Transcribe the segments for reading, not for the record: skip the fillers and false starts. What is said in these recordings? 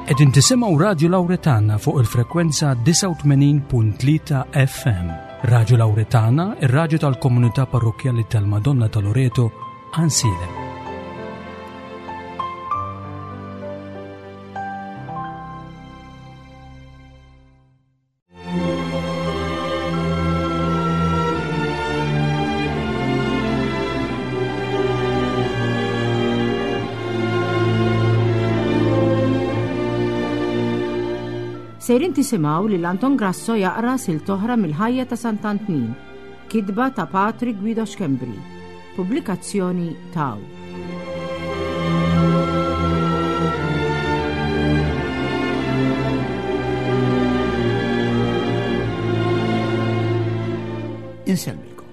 Qegħdin tisimgħu Radju Lawretana fuq il-frekwenza 89.3 FM. Radju Lawretana, ir-radju tal-komunità parrokkjali tal-Madonna ta' Loreto, Ansilem. Sejrin tisimgħu lil Anton Grasso jaqra silt oħra mill-ħajja ta' Sant'Antnin, kitba ta' Patri Guido Schembri, pubblikazzjoni taw. Insellmilkom.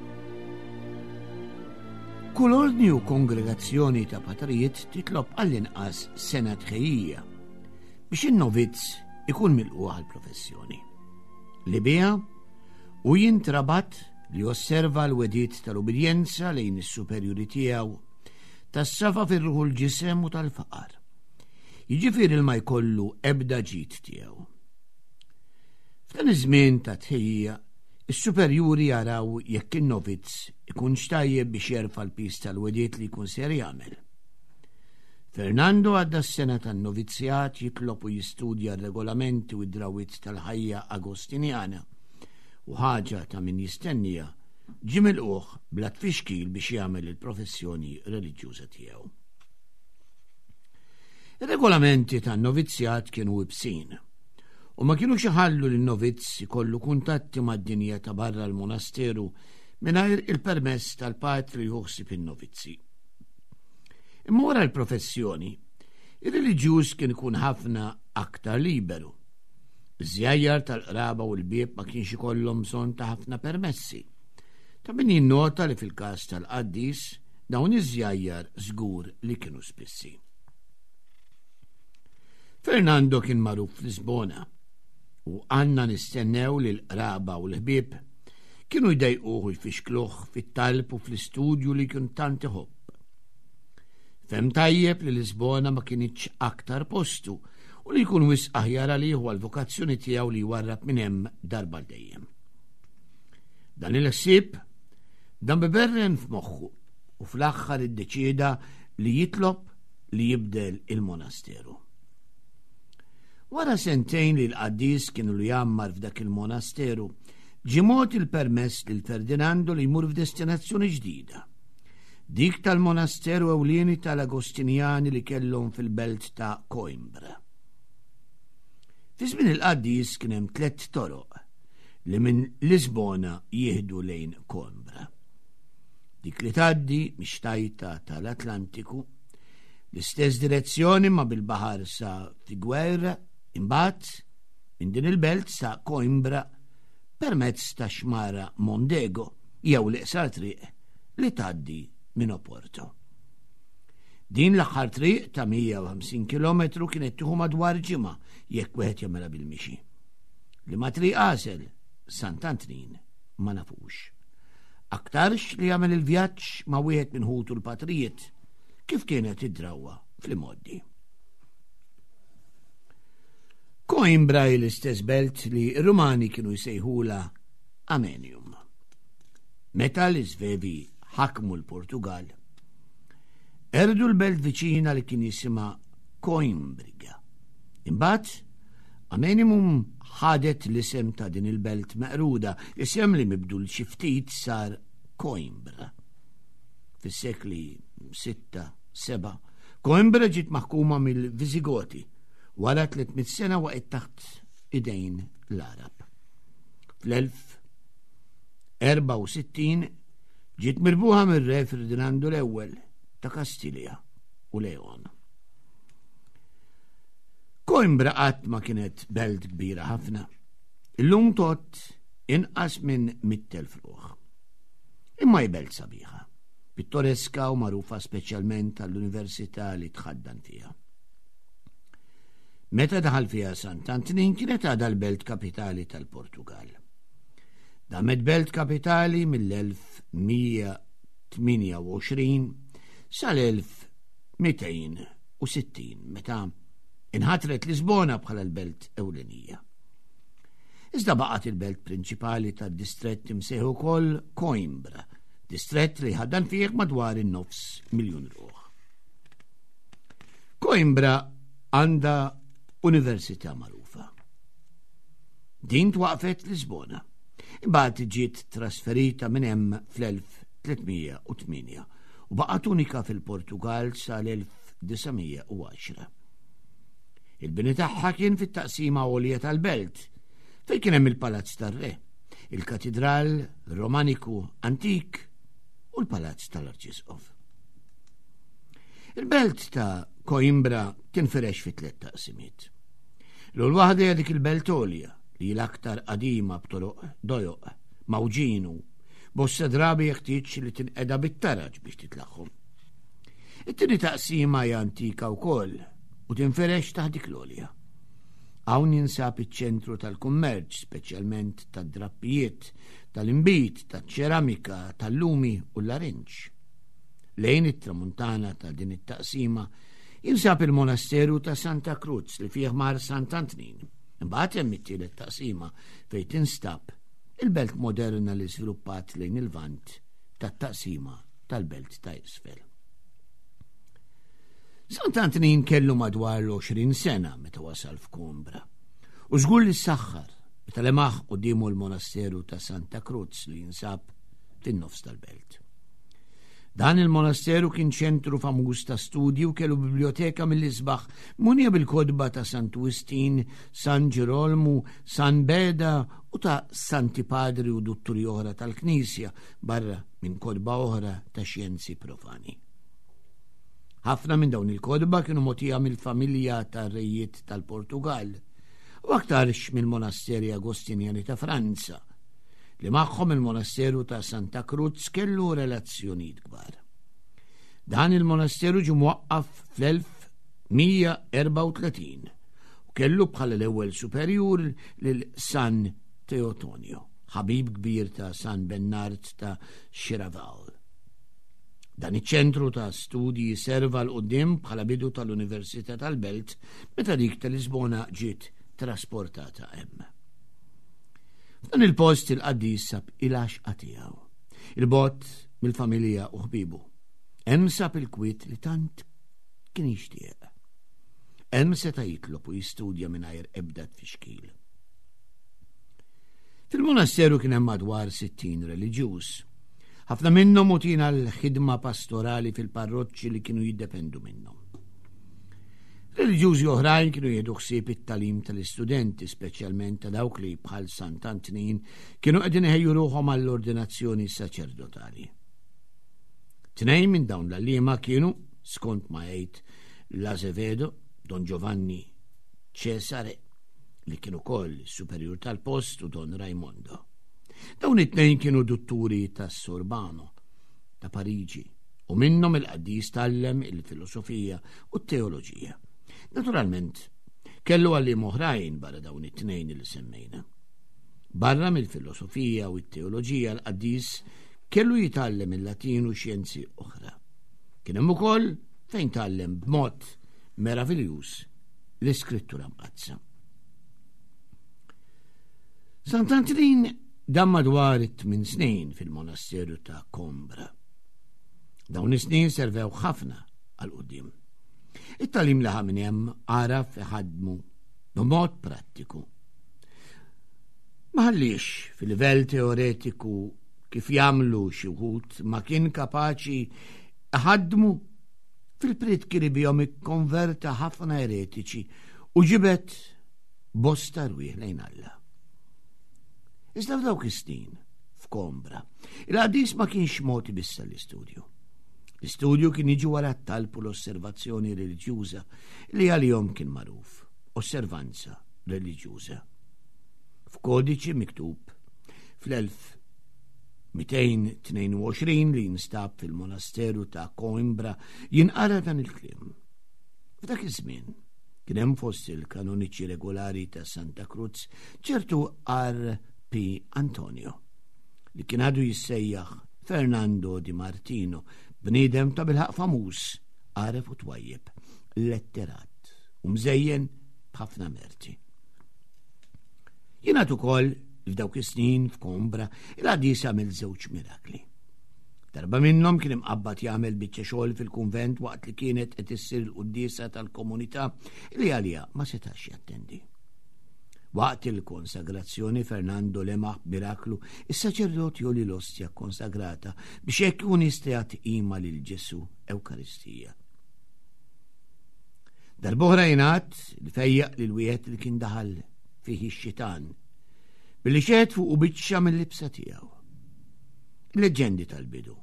Kull ordni u kongregazzjoni ta' patrijiet titlob għall-inqas sena tħejjija biex in-novizz ikun milqugħ għall-professjoni. Li biha u jintrabat li josserva l-wegħdiet tal-ubbidjenza lejn is-superjuri tiegħu, tas-safa fir-ruħ u l-ġisem u tal-faqar. Jiġifieri li ma jkollu ebda ġid tiegħu. F'dan iż-żmien ta' tħejjija, is-superjuri jaraw jekk in-novizz ikunx tajjeb biex jerfa' l-piż tal-wegħdiet li jkun ser jagħmel. Fernando għadda s-sena tan-novizzjat jitlob u jistudja r-regolamenti u d-drawwiet tal-ħajja Agostinjana u ħaġa ta' min jistennija, ġie milqugħ bla tfixkil biex jagħmel il-professjoni reliġjuża tiegħu. Ir-regolamenti tan-novizzjat kienu ibsin u ma kinux iħallu lin-novizz ikollu kuntatti mad-dinja ta' barra l-monasteru mingħajr il-permess tal-patri li ħsieb in-novizzi. Imma wara l-professjoni, ir-reliġjuż kien ikun ħafna aktar liberu. Iż-żjajjar tal-qraba u l-bieb ma kienx ikollhom bżonn ta' ħafna permessi. Ta' min jinnota li fil-każ tal-qaddis dawn iż-żjajjar żgur li kienu spissi. Fernando kien magħruf f'Lisbona u għandna nistennew li l-qraba u l-ħbieb kienu jdejquh u jfixkluh fit-talb u fl-istudju li kien tant iħobb. Fem tajjeb li Lisbona ma kinitx aktar postu u li jkun wisq aħjar għalih u għall-vokazzjoni tiegħu li jwarrab minn hemm darba dejjem. Dan il-ħsieb dan biberren f'moħħu u fl-aħħar iddeċieda li jitlob li jibdel il-monasteru. Wara sentejn li l-qaddis kienu li jgħammar f'dak il-monasteru, ġie mogħti l-permess lil Ferdinando li jmur f'destinazzjoni ġdida. Dik tal-monasteru ewlieni tal-Agostinjani li kellhom fil-belt ta' Coimbra. Fi żmien il-qaddis kien hemm tlett toroq li minn Lisbona jieħdu lejn Coimbra. Dik li tgħaddi mix-xtajta tal-Atlantiku, l-istess direzzjoni ma bil-baħar sa Figueira, imbagħad minn din il-belt sa Coimbra permezz ta' xmara Mondego jew l-iqsar triq li tgħaddi minn Oporto. Din l-aħħar triq ta' 150 km kienet tieħu madwar ġimgħa jekk wieħed jagħmilha bil-mixi. Li ma triq għażel Sant'Antnin ma nafux. Aktarx li jagħmel il-vjaġġ ma' wieħed minn ħutu l-patrijiet kif kienet id-drawwa fl-imgħoddi. Coimbra hi l-istess belt li r-Rumani kienu jsejħula Amenium. Meta l-Isvevi ħakmu l-Portugal, erdu l-belt viċina li kien jisimha Coimbriga. Imbagħad, Amenimum ħadet l-isem ta' din il-belt meqruda, isem li mibdul xi ftit sar Coimbra. Fis-sekli 6, 7, Coimbra ġiet maħkuma mill-Viżigoti wara 300 sena waqgħet taħt idejn l-Arab. Fl-1064 ġiet mirbuħa mir-Re Ferdinandu l-Ewwel ta' Kastilja u Leon. Coimbra qatt ma kienet belt kbira ħafna. Illum tot inqas minn 100,000 ruħ. Imma hi belt sabiħa, pittoreska u magħrufa speċjalment għall-università li tħaddan fiha. Meta daħal fiha Sant'Antnin kienet għadha l-belt kapitali tal-Portugal. Damet belt kapitali mill-1128 sal-1260 meta. Inħatret Lisbona bħala l-belt ewlenija. Iżda baqgħet il-belt prinċipali tad-distrett imsejħ ukoll Coimbra, distrett li ħaddan fih madwar in-nofs miljun ruħ. Coimbra għandha università magħrufa. Din twaqfet Lisbona. Imbagħad ġiet trasferita minn hemm fl-1308 u baqgħet unika fil-Portugal sal-1910. Il-bini tagħha kien fit-taqsima għolja tal-belt, fejn kien hemm il-Palazz tar-Re, il-Katidral Romaniku antik u l-Palazz tal-Arċisqof. Il-belt ta' Coimbra tinfirex fi tliet taqsimiet. L-ewwel waħda hija dik il-belt għolja li l-aktar qadima b'toroq dojoq, mawġinu, bosta drabi jeħtieġ li tinqeda bit-taraġ biex titlaħħom. It-tieni taqsima hija antika wkoll u tinferex taħt dik l-għolja. Hawn jinsab iċ-ċentru tal-kummerċ, speċjalment tad-drappijiet, tal-inbid, taċ-ċeramika, tal-lumi u l-larinġ. Lejn it-tramuntana ta' din it-taqsima jinsab il-monasteru ta' Santa Cruz li fih mar Sant'Antnin. Imbagħad hemm it-tielet taqsima fejn tinstab il-belt moderna li żviluppat lejn il-vant tat-taqsima tal-belt ta' isfel. Sant'Antnin kellu madwar l-20 sena meta wasal f'Kombra. U żgur li saħħar meta lemaħ qudiemu l-monasteru ta' Santa Cruz li jinsab fin-nofs tal-belt. Dan il-monasteru kien ċentru famuż ta' studji u kellu biblioteka mill-isbaħ munja bil-kodba ta' Santu Wistin, San Ġirolmu, San Beda u ta' Santi Padri u Dutturi oħra tal-Knisja barra minn kodba oħra ta' xjenzi profani. Ħafna minn dawn il-kodba kienu mogħtija mill-familja tar-rejiet tal-Portugal u aktarx mill-monasteri Agostinjani ta' Franza, li magħhom il-monasteru ta' Santa Cruz kellu relazzjonijiet kbar. Dan il-monasteru ġie mwaqqaf fl-1134 u kellu bħala l-ewwel superjur lil San Teotonio, ħabib kbir ta' San Bennard ta' Xiraval. Dan iċ-ċentru ta' studji serva 'l quddiem bħala bidu tal-Università tal-Belt meta dik ta' Lisbona ġiet trasportata hemm. F'dan il-post il-qaddis sab il-għaxqa tiegħu, il-bogħod mill-familja u ħbiebu. Hemm sab il-kwiet li tant kien jixtieq. Hemm seta' jitlob u jistudja mingħajr ebda tfixkil. Fil-monasteru kien hemm madwar 60 reliġjuż. Ħafna minnhom utin għal ħidma pastorali fil-parroċċi li kienu jiddependu minnhom. Reliġjużi oħrajn kienu jieħdu ħsieb it-tagħlim tal-istudenti, speċjalment ta' dawk li bħal Sant'Antnin kienu qegħdin iħejju ruħhom għall-ordinazzjoni saċerdotali. Tnejn minn dawn l-għalliema kienu, skont ma jgħid l-Azevedo, Don Giovanni Cesare, li kien ukoll superjur tal-post u Don Raimondo. Dawn it-tnejn kienu dutturi tas-Sorbano ta' Pariġi u minnhom il-qaddis tgħallem il-filosofija u t-teoloġija. Naturalment, kellu għalliem oħrajn barra dawn it-tnejn li semmejna. Barra mill-filosofija u t-teoloġija l-qaddis kellu jitgħallem il-Latin u xjenzi oħra. Kien hemm ukoll fejn tgħallem b'mod meraviljuż l-Iskrittura Mqaddsa. Sant'Antnin dam madwar it-tmien snin fil-monasteru ta' Kombra. Dawn is-snin servew ħafna għal quddiem. It-tagħlim li ħa minn hemm għaraf iħaddmu b'mod prattiku. Ma ħallix fil-livell teoretiku kif jagħmlu xi wħud ma kien kapaċi iħaddmu fil-prietki li bihom ikkonverta ħafna eretiċi u ġibed bosta rwieħ lejn Alla. Iżda f'dawk is-snin, f'Kombra, il-qaddis ma kienx mogħti biss l-istudju. L-istudju kien jiġi wara t-talb u l-osservazzjoni reliġjuża li għalihom kien magħruf, osservanza reliġjuża. F'kodiċi miktub fl-1222 li jinstab fil-monasteru ta' Coimbra jinqara dan il-kliem. F'dak iż-żmien kien hemm fost il-kanoniċi regolari ta' Santa Cruz ċertu R. P. Antonio li kien għadu jissejjaħ Fernando Di Martino, bniedem ta' bilħaq famuż, għaref u twajjeb, letterat u mżejjen b'ħafna merti. Jingħad ukoll li f'dawk is-snin f'Kombra il-qaddis għamel żewġ mirakli. Darba minnhom kien imqabbad jagħmel biċċa xogħol fil-kunvent waqt li kienet qed issir il-quddiesa tal-komunità li għaliha ma setax jattendi. Waqt il-konsagrazzjoni Fernando lemaħ b'miraklu is-saċerdot joli l-ostja konsagrata biex hekk ikun jista' jagħti qima lil Ġesu Ewkaristija. Darb'oħra jingħad li fejjaq lil wieħed li kien daħal fih ix-xitan billi xehed fuq biċċa mill-libsa tiegħu. Leġġendi tal-bidu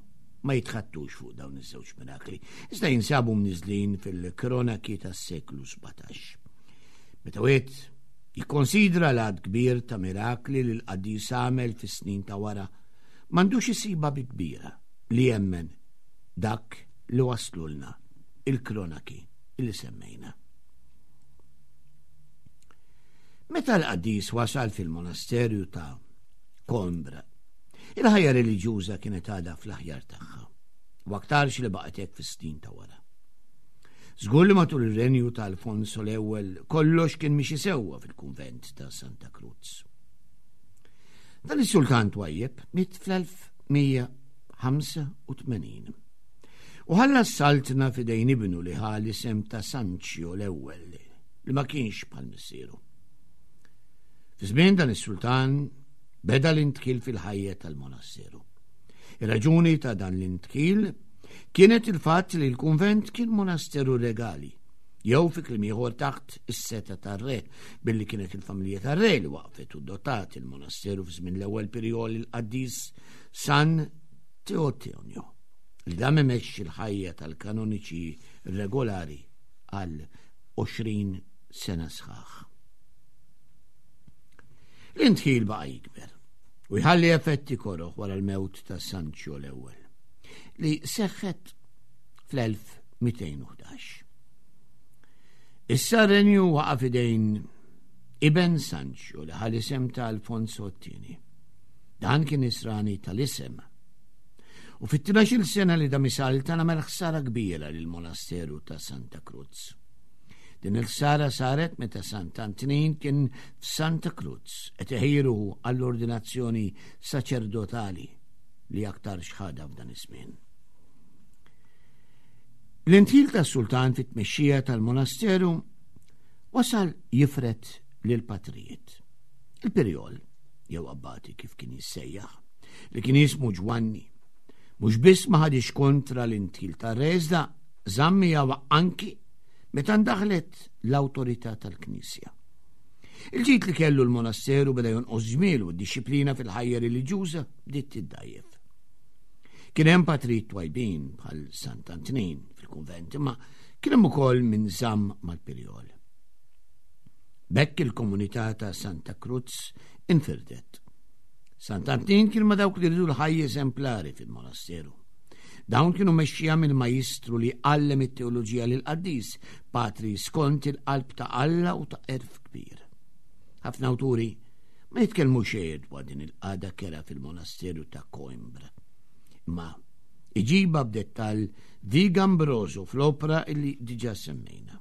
ma jitħattux fuq dawn iż-żewġ mirakli, iżda jinsabu mniżlin fil-kronaki tas-seklu 17. Meta wieħed jikkonsidra l-għad kbir ta' mirakli li l-qaddis għamel fis-snin ta' wara, m'għandux isibha bi kbira li jemmen dak li waslulna il-kronaki li semmejna. Meta l-qaddis wasal fil-monasterju ta' Coimbra, il-ħajja reliġjuża kienet għadha fl-aħjar tagħha, u aktarx li baqgħet hekk fis-snin ta' wara. Żgur li matul ir-renju ta' Alfonso l-ewwel kollox kien mixi sewwa fil-kunvent ta' Santa Cruz. Dan is-sultan twajjeb miet fl-1185. U ħalla s-saltna f'idejn ibnu li ħa l-isem ta' Sanċjo l-ewwel li ma kienx bħal missieru. Fi żmien dan is-sultan beda l-intħil fil-ħajja tal-monasteru. Ir-raġuni ta' dan l-intħil kienet il-fatt li l-kunvent kien monasteru regali, jew fi kliem ieħor taħt is-seta tar-re, billi kienet il-familja tar-re li waqfet u dotat il-monasteru f'żmien l-ewwel pirjol il-qaddis San Teotonio, li dam imexxi l-ħajja tal-kanoniċi regolari għal 20 sena sħaħ. L-intħil baqa' jikber u jħalli effetti koroħ wara l-mewt ta' Sancho l-ewwel li seħħet fl-1211. Issa renju waqa' fidejn iben Sancho li ħal isem ta' Alfonso t-tieni. Dan kien nisrani tal-isem. U fit-12 sena li dam isaltan għamel ħsara kbira lill-monasteru ta' Santa Cruz. Din il-ħsara saret meta Sant'Antnin kien f'Santa Cruz qed iħejruhu għall-ordinazzjoni saċerdotali li aktar xħada f'dan iż-żmien. L-intil tas-sultan fit-tmexxija tal-monasteru wasal jifret lil patrijiet. Il-pirjol, jew abbati kif kien jissejjaħ, li kien jismu Ġwanni, mhux biss ma ħadix kontra l-intil tar-re iżda żamm miegħu anki meta ndaħlet l-awtorità tal-Knisja. Il-ġid li kellu l-monasteru beda jonqos ġmiel u d-dixxiplina fil-ħajja reliġjuża bdiet tiddajjef. Kien hemm patrijiet twajbin bħal Sant'Antnin fil-kunvent, imma kien hemm ukoll min żamm mal-pirjol. B'hekk il-komunità ta' Santa Cruz infirdet. Sant'Antnin kien ma' dawk li rridu l-ħajja eżemplari fil-monasteru. Dawn kienu mexxija mill-majistru li għallem it-teoloġija lil qaddis, patri skont il-qalb ta' Alla u ta' erf kbir. Ħafna awturi ma jitkellmu xejn dwar din il-qagħda kera fil-monasteru ta' Coimbra. Imma iġiba b'dettall Viga Ambroso fl-opra illi diġà semmejna.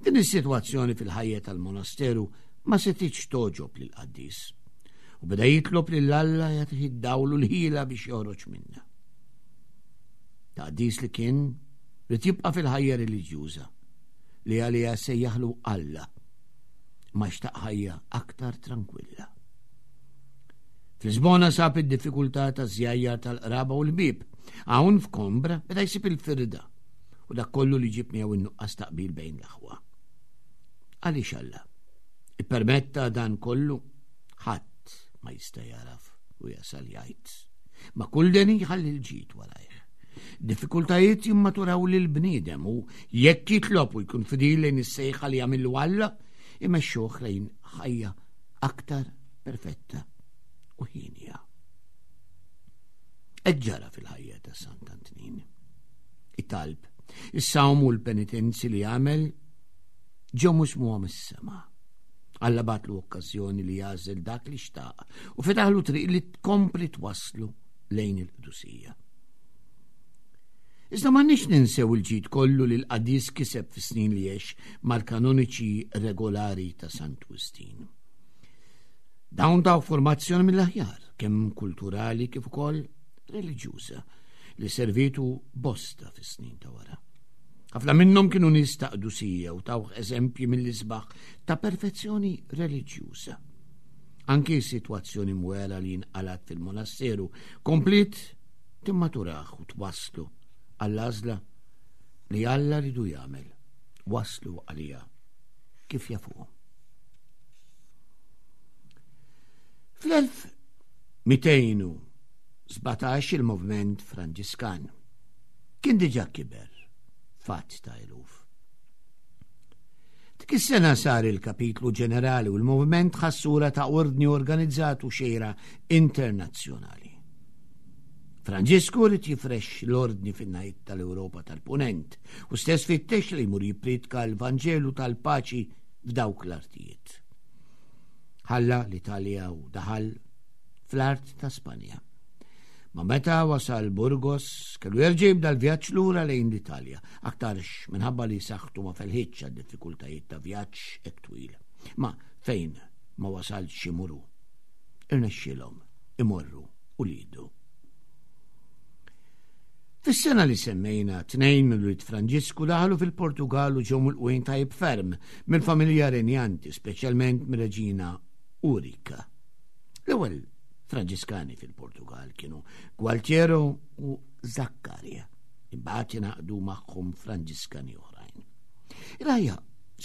Din is-sitwazzjoni fil-ħajja tal-monasteru ma setitx togħġob lill-qaddis u beda jitlob lil Alla jagħtih id-dawl u l-ħila biex joħroġ minnha. Ta' qaddis li kien ried jibqa' fil-ħajja reliġjuża li għaliha sejjaħlu Alla ma xtaq ħajja aktar trankwilla. F'Lisbona sab id-diffikultà ta' żjajjar tal-qraba u l-ħbieb. Hawn f'Kombra beda jsib il-firda u dak kollu li ġib miegħu in-nuqqas ta' qbil bejn l-aħwa. Għaliex Alla ippermetta dan kollu ħadd ma jista' jaraf u jasal jgħid. Ma kull deni jħalli l-ġid warajh. Diffikultajiet jimmaturaw lil bniedem u jekk jitlob u jkun fidil lejn is-sejħa li jagħmillu Alla, imexxuh lejn ħajja aktar perfetta u ħinja. Hekk ġara fil-ħajja ta' Sant'Antnin. It-talb, is-sawm u l-penitenzi li għamel ġew musmuha mis-sema. Alla batlu okkażjoni li jagħżel dak li xtaq u fetaħlu triq li tkompli twasslu lejn il-qdusija. Iżda m'għandniex ninsew il-ġid kollu li l-qaddis kiseb fis-snin li għex mal-kanoniċi regolari ta' Santu Wistin. Dawn taw formazzjoni mill-aħjar, kemm kulturali kif ukoll reliġjuża, li servitu bosta fis-snin ta' wara. Ħafna minnhom kienu nies ta' qdusija u tawh eżempji mill-isbaħ ta' perfezzjoni reliġjuża. Anki s-sitwazzjoni mwera li nqalat fil-monasteru kompliet timmaturah u twasslu għall-għażla li Alla ridu jagħmel, waslu għaliha kif jafuhom. Fl-1217 il-movement Franġiskan kien diġà kiber fatt ta' eluf. Dik is-sena sar il-kapitlu ġenerali u l-moviment ħassura ta' ordni organizzat u xejra internazzjonali. Franġisku rid jifrex l-ordni fin-naħiet tal-Ewropa tal-Punent u stess fittex li jmur jippriedka l-Vanġelu tal-paċi f'dawk l-artijiet. Ħalla l-Italja u daħal fl-art ta' Spanja. Ma meta wasal Burgos, kellu jerġa' jibda l-vjaġġ lura lejn l-Italja, aktarx minħabba li saħħtu ma felħitx għad-diffikultajiet ta' vjaġġ hekk twil. Ma fejn ma wasalx imuru, irnexxielhom imorru uliedu. Fis-sena li semmejna, tnejn minn ulied Franġisku daħlu fil-Portugal u ġew milqugħin tajjeb ferm mill-familja renjanti, speċjalment mir-reġina Urika. L-ewwel Franġiskani fil-Portugal kienu Gualtiero u Zaccaria, imbagħad ingħaqdu magħhom Franġiskani oħrajn. Il-ħajja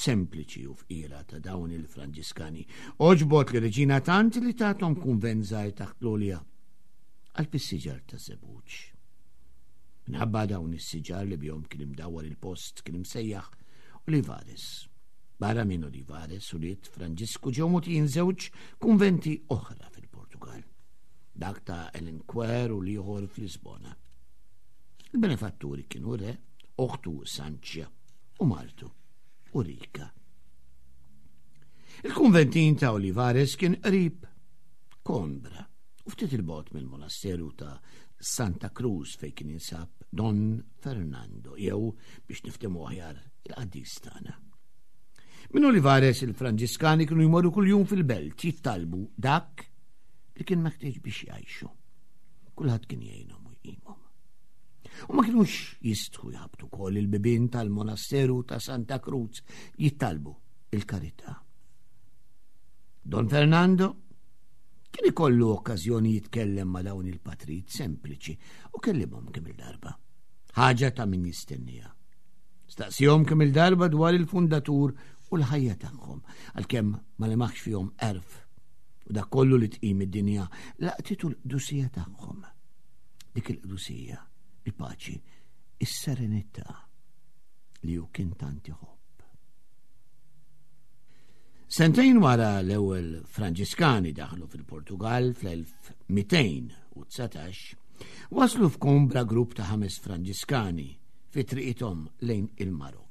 sempliċi u fqira ta' dawn il-Franġiskani għoġbot li reġina tant li tathom kunvent żgħir taħt l-għolja qalb is-siġar ta' żebbuġ. Minħabba dawn is-siġar li bihom kien imdawwar il-post kien imsejjaħ Olivares. Barra minn Olivares ulied Franġisku ġew mogħtijin żewġ kunventi oħra fil-Portugal. Dak ta' Elenquer u l-ieħor f'Lisbona. Il-benefatturi kienu re, oħtu Sanċja u martu Ulrika. Il-kunventin ta' Olivares kien qrib Coimbra u ftit il-bogħod mill-monasteru ta' Santa Cruz fejn kien jinsab Don Fernando jew biex niftehmu aħjar il-qaddis tagħna. Minn Olivares il-Franġiskani kienu jmorru kuljum fil-belt jittalbu dak li kien meħtieġ biex jgħixu. Kulħadd kien jgħinhom u jqimhom. U ma kinux jistħu jħabtu kol il-bibien tal-monasteru ta' Santa Cruz jittalbu il-karità. Don Fernando kien ikollu okkażjoni jitkellem ma' dawn il-patrit sempliċi u kellimhom kemm il-darba. Ħaġa ta' min jistennija. Staqsihom kemm il-darba dwar il-fundatur u l-ħajja tagħhom, għalkemm ma lemaħx fihom erf u dak kollu li tqim id-dinja laqtitu l-qdusija tagħhom. Dik il-qdusija, il-paċi, is-serenità li hu kien tant iħobb. Sentejn wara l-ewwel Franġiskani daħlu fil-Portugal fl-1219, waslu f'Kombra grupp ta' ħames Franġiskani fi triqithom lejn il-Marokk.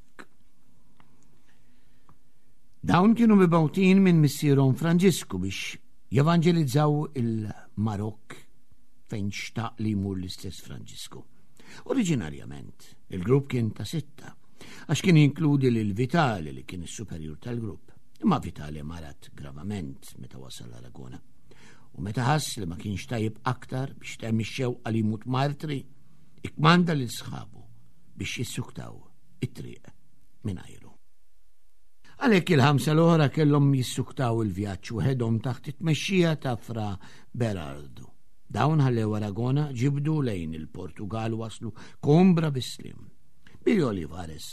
Dawn kienu mibgħutin minn missierhom Franġisku biex jevanġelizzaw il-Marokk fejn xtaq li jmur l-istess Franġisku. Oriġinarjament, il-grupp kien ta' sitta, għax kien jinkludi lil Vitali li kien is-superjur tal-grupp. Imma Vitali marat gravament meta wasal Aragona. U meta ħass li ma kienx tajjeb aktar biex temm ix-xewqa li jmut martri, ikkmanda lil sħabu biex jissuktaw it-triq mingħajru. Għalhekk il-ħamsa l-oħra kellhom jissuktaw il-vjaġġ waħedhom taħt it-tmexxija ta' Fra Berardo. Dawn ħallew Aragona ġibdu lejn il-Portugal waslu Coimbra bis-slim. Billi Olivares,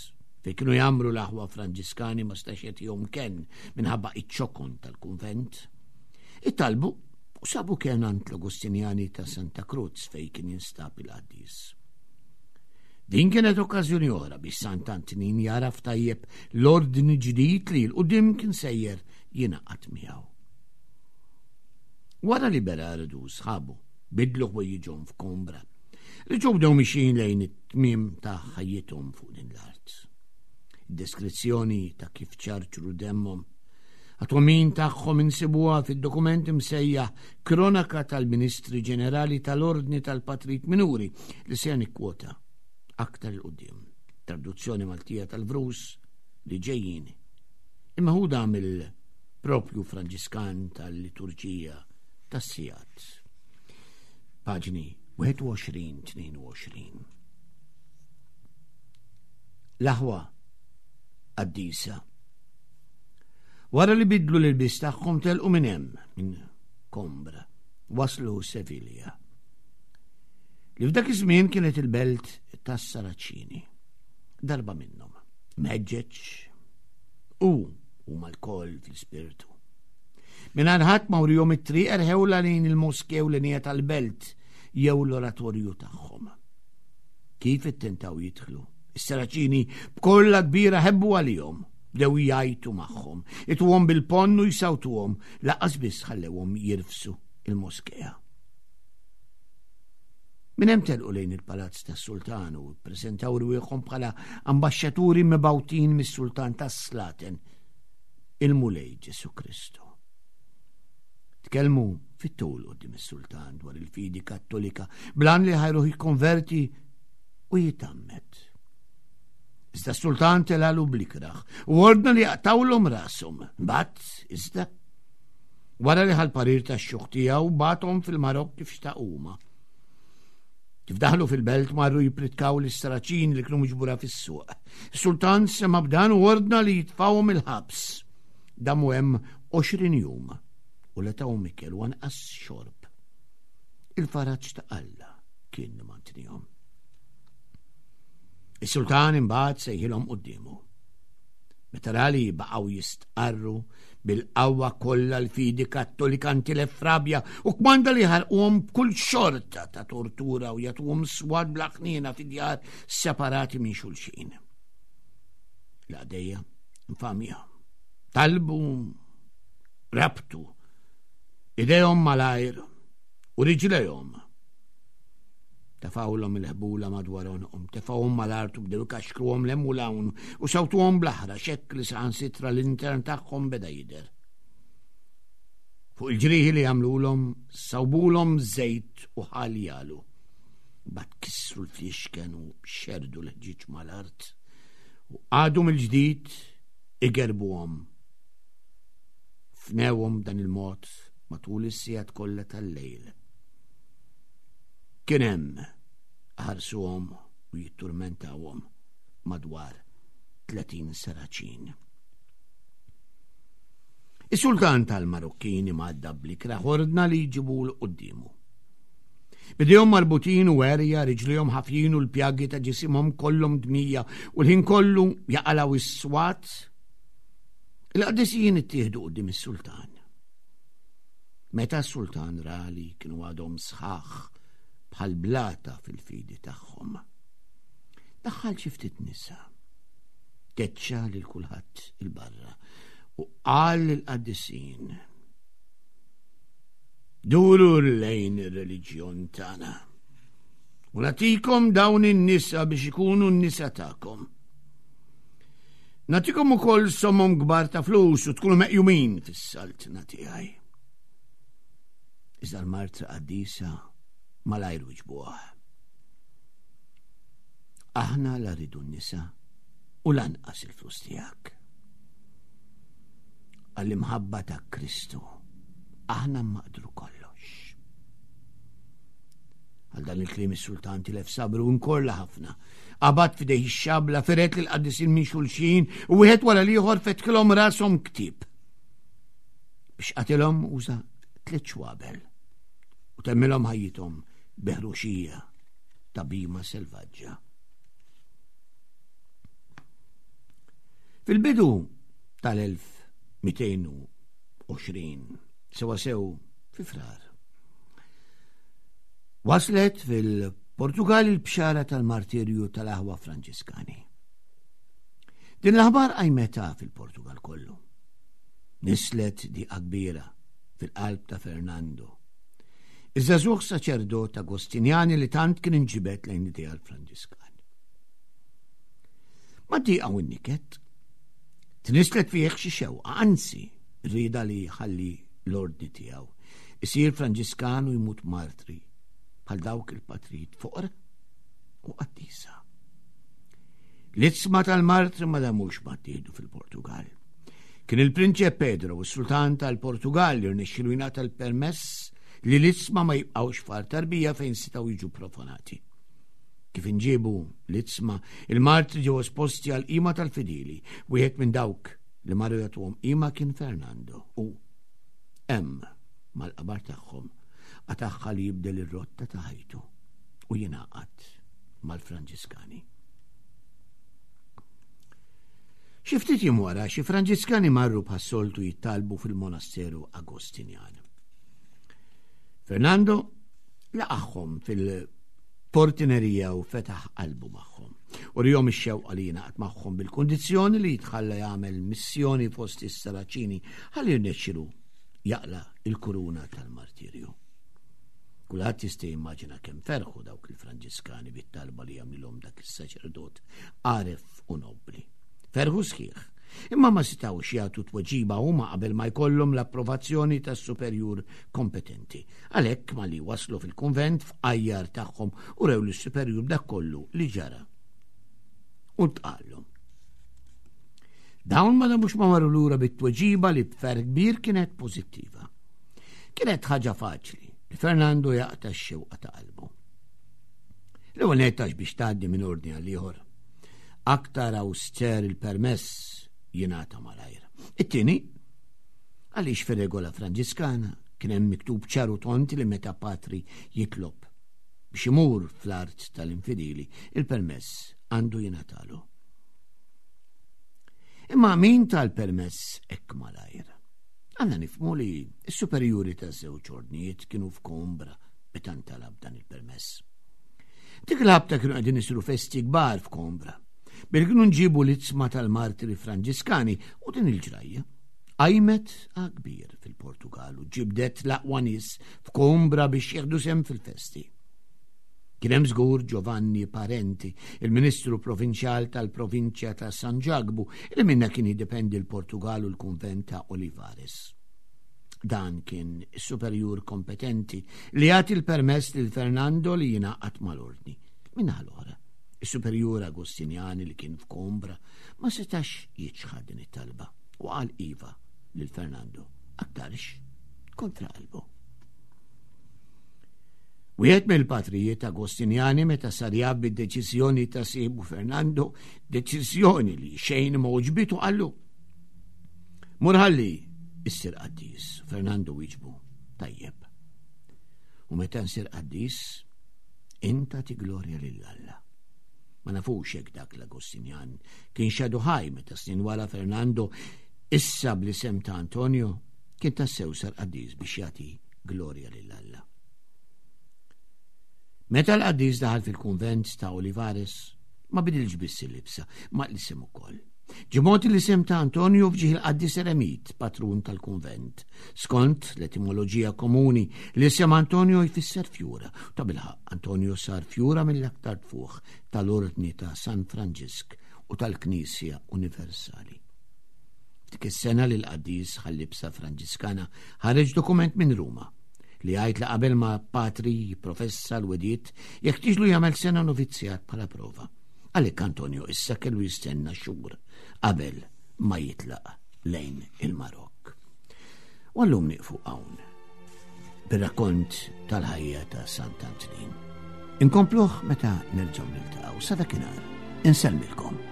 fejn kienu jgħammru l-aħwa Franġiskani ma stax jagħtihom kenn minħabba iċ-ċokon tal-kunvent. Ittalbu u sabu kenn għand l-Agostinjani ta' Santa Cruz fejn kien jinstab il-qaddis. Din kienet okkażjoni oħra biex Sant'Antnin jaraf tajjeb l-ordni ġdid li l-qudiem kien sejjer jingħaqad miegħu. Wara li Berardu u sħabu bidlu ħwejjiġhom f'Kombra, reġgħu bdew mixjin lejn it-tmiem ta' ħajjithom fuq din l-art. Id-deskrizzjoni ta' kif ċarċru demmhom għat-twemmin tagħhom insibuha fid-dokument imsejjaħ Kronaka tal-Ministri Ġenerali tal-Ordni tal-Patrit Minuri li se nikkwota. Aktar 'il quddiem, traduzzjoni Maltija tal-vrus li ġejjin, immeħuda mill-propju Franġiskan tal-Liturġija tas-Sigħat. Paġni 21-22. L-aħwa qaddisa. Wara li bidlu l-ilbies tagħhom telqu minn hemm, minn Kombra, waslu Sevilja. Li f'dak iż-żmien kienet il-belt tas-Saraċini. Darba minnhom, mħeġġeġ u huma lkoll fl-ispirtu. Mingħajr ħadd ma wrihom it-triq erħewla lejn il-moskew l tal-belt jew l-oratorju tagħhom. Kif ittentaw jidħlu, is-Saraċini b'kolla kbira ħebbu għalihom, bdew jgħajtu magħhom, ituhom bil-ponn u jsawtuhom, laqas biss ħallewhom jirfsu il-moskea. Minn hemm telqu lejn il-palazz tas-sultan u ppreżentaw rwieħhom bħala ambaxxaturi mibgħutin mis-sultan tas-slaten, il-Mulej Ġesu Kristu. Tkellmu fit-tul quddiem is-sultan dwar il-fidi kattolika blan li ħajruh jikkonverti u jitammet. Iżda s-sultan telalu blikraħ u ordna li jaqtawlhom rashom. Mbagħad iżda Wara li ħal parir tax-xjuħ tiegħu bagħathom fil-Marokk kif xtaqu huma. Kif daħlu fil-belt marru jipritkaw lis-Saraċin li kienu miġbura fis-suq. Is-sultan sema' b'dan u ordna li jitfgħuhom il-ħabs. Damu hemm 20 jum u la tawhom ikel u anqas xorb. Il-faraġ ta' Alla kien mantnihom. Is-sultan imbagħad sejħilhom quddiemu. Meta ra li baqgħu jistqarru bil-qawwa kollha l-fidi Kattolika ntilef f'rabja u kmanda li jħarquhom b'kull xorta ta' tortura u jagħtuhom swat bla ħniena fi djar separati minn xulxin. L-għadejja infamja. Talbu rabtu idejhom malajr u riġlejhom Tefgħulhom il-ħbula madwar għonqhom, tefgħuhom mal-art u bdew ikaxkruhom 'l hemm u 'l hawn u sawtuhom bl-aħrax hekk li saħansitra l-intern tagħhom beda jidher. Fuq il-ġrieħi li għamlulhom sawbulhom żejt u ħal jalu. Bat kissru l-fliexken u xerdu l-ħġieġ mal-art u qagħdu mill-ġdid igerbuhom. Fnewhom dan il-mod matul is-sigħat kollha tal-lejl. Kien hemm ħarsuhom u jitturmentawhom madwar 30 saraċin. Is-sultan tal-Marokkini madda bl-ikrah ordna li jġibu l quddiemu. Bidejhom marbutin u għerja, riġlihom ħafjin u l-pjagi ta' ġisimhom kollhom dmija u l-ħin kollu jaqalaw is-swat. Il-qaddisin ittieħdu quddiem is-sultan. Meta s-sultan ra li kienu għadhom sħaħ bħal blata fil-fidi tagħhom, daħħal xi ftit nisa, keċċa lil kulħadd il-barra u qal lill-qaddisin Duru lejn ir-reliġjon tagħna. U nagħtikom dawn in-nisa biex ikunu n-nisa tagħkom. Nagħtikom ukoll somom kbar ta' flus u tkunu meqjumin fis-saltna tiegħi. Iżda l-martra qaddisa malajr wiġbuha. Aħna la rridu n-nisa u lanqas il-flus tiegħek. Għall-imħabba ta' Kristu aħna maqdru kollox. Għal dan il-kliem is-sultan tilef sabru nkorla ħafna. Qabad f'idejh ix-xabla, firet lil qaddisin minn xulxin u wieħed wara l-ieħor fetħilhom rashom ktieb. Biex qatilhom uża tliet xwabel u temmilhom ħajjithom beħruxija ta' bima selvaġġa. Fil-bidu tal-1220, sewa sew fi frar, Waslet fil-Portugal il-bxara tal-martirju tal-aħwa Franġiskani. Din l-aħbar qajmetha fil-Portugal kollu. Nislet diqa kbira fil-qalb ta' Fernando. Iż-żagħżugħ saċerdot Agostinjani li tant kien inġibed lejn l-ideal Franġiskan. Ma diqa u n-niket, tnislet fih xi xewqa, anzi, rieda li jħalli l-ordni tiegħu, isir Franġiskan u jmut martri bħal dawk il-patrijiet foqra u qaddisa. L-idsma tal-martri ma damux ma ttieħdu fil-Portugal. Kien il-Prinċep Pedro, is-Sultan tal-Portugal li rnexxilu jingħata l-permess li l-idsma ma jibqgħux f'għar tarbija fejn setgħu jiġu profanati. Kif inġiebu l-idsma, il-martri ġew esposti għal qima tal-fidili. Wieħed minn dawk li marru jagħtuhom qima kien Fernando u hemm mal-qabar tagħhom qatagħha li jibdel ir-rotta ta' ħajtu u jingħaqad mal-Franġiskani. Xi ftit jiem wara, xi Franġiskani marru bħas-soltu jittalbu fil-monasteru Agostinjan. Fernando laqagħhom fil-portinerija u fetaħ qalbu magħhom. U rihom ix-xewqa li jingħaqad magħhom bil-kundizzjoni li jitħalla jagħmel missjoni fost is-Saraċini ħalli jirnexxilu jaqla il-kuruna tal-martirju. Kulħadd jista' jimmaġina kemm ferħu dawk il-Franġiskani bit-talba li għamlilhom dak is-saċerdot għaref u nobbli. Ferħu sħiħ, imma ma setgħux jagħtu tweġiba huma qabel ma jkollhom l-approvazzjoni tas-superjur kompetenti. Għalhekk malli waslu fil-kunvent f'qajjar tagħhom u rew lis-superjur dak kollu li ġara. U tqallhom. Dawn ma damux ma marru lura bit-tweġiba li b'ferħ kbir kienet pożittiva. Kienet ħaġa faċli li Fernando jaqta' x-xewqa ta' qalbu. L-ewwel nett għax biex tgħaddi minn ordni għal ieħor. Aktar awster il-permess jingħata malajr. It-tieni, għaliex fir-regola Franġiskana kien hemm miktub ċar u tont li meta patri jitlob biex imur fl-art tal-infidili, il-permess għandu jingħatalu. Imma min tal-permess hekk malajr? Għandna nifhmu li s-superjuri taż-żewġ ordnijiet kienu f'Coimbra meta ntalab dan il-permess. Dik il-ħabta kienu qegħdin isiru festi kbar f'Coimbra. Billi kienu nġibu l-itzma tal-martiri Franġiskani u din il-ġrajja qajmet kbir fil-Portugal u ġibdet l-aqwa nies f'Coimbra biex jieħdu sehem fil-festi. Kien hemm żgur Giovanni Parenti, il-Ministru Provinċjal tal-Provinċja ta' San Ġakbu, li minnha kien jiddependi l-Portugal u l-Kunvent ta' Olivares. Dan kien is-superjur kompetenti li jagħti l-permess lil Fernando li jingħaqad mal-ordni. Min-naħa l-oħra, is-superjur Agostinjani li kien f'Coimbra ma setax jiċħad din it-talba u qal iva lil Fernando, aktarx kontra qalbu. Wieħed mill-patrijiet Agostinjani meta sar jaf bid-deċiżjoni ta' sieħbu Fernando, deċiżjoni li xejn ma għoġbitu qallu. Mur ħalli issir qaddis, Fernando wieġbu, tajjeb. U meta nsir qaddis, inta tiglorja lil Alla. Ma nafux jekk dak l-Agostinjan kien xadu ħaj meta snin wara Fernando issa bl-isem ta' Antonio kien tassew sar qaddis biex jagħti glorja lil Alla. Meta l-qaddis daħal fil-kunvent ta' Olivares, ma bidilx biss il-libsa, ma l-isem ukoll. Ġimgħot l-isem ta' Antonio fġieħ il-qaddis Eremit, patrun tal-kunvent. Skont l-etimoloġija komuni, l-isem Antonio jfisser fjura. Ta' bilħaq, Antonio sar fjura mill-aktar tfuħ tal-Ordni ta' San Franġisk u tal-Knisja Universali. F'dik is-sena li l-qaddis ħal-libsa Franġiskana ħareġ dokument minn Ruma li jgħid li qabel ma patri jipprofessa l-wediet jeħtieġlu jagħmel sena novizzjat bħala prova. Għalhekk Antonio issa kellu jistenna xhur qabel ma jitlaq lejn il-Marokk. U għallum nieqfu hawn bir-rakkont tal-ħajja ta' Sant'Antnin. Inkompluh meta nerġgħu niltaqgħu sa dakinhar. Insellmilkom.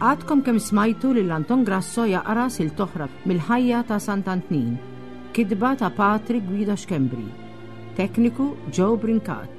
Għadkom kemm smajtu lil Anton Grasso jaqra silta oħra mill-ħajja ta' Sant'Antnin, kitba ta' Patri Guido Schembri. Tekniku Joe Brincat.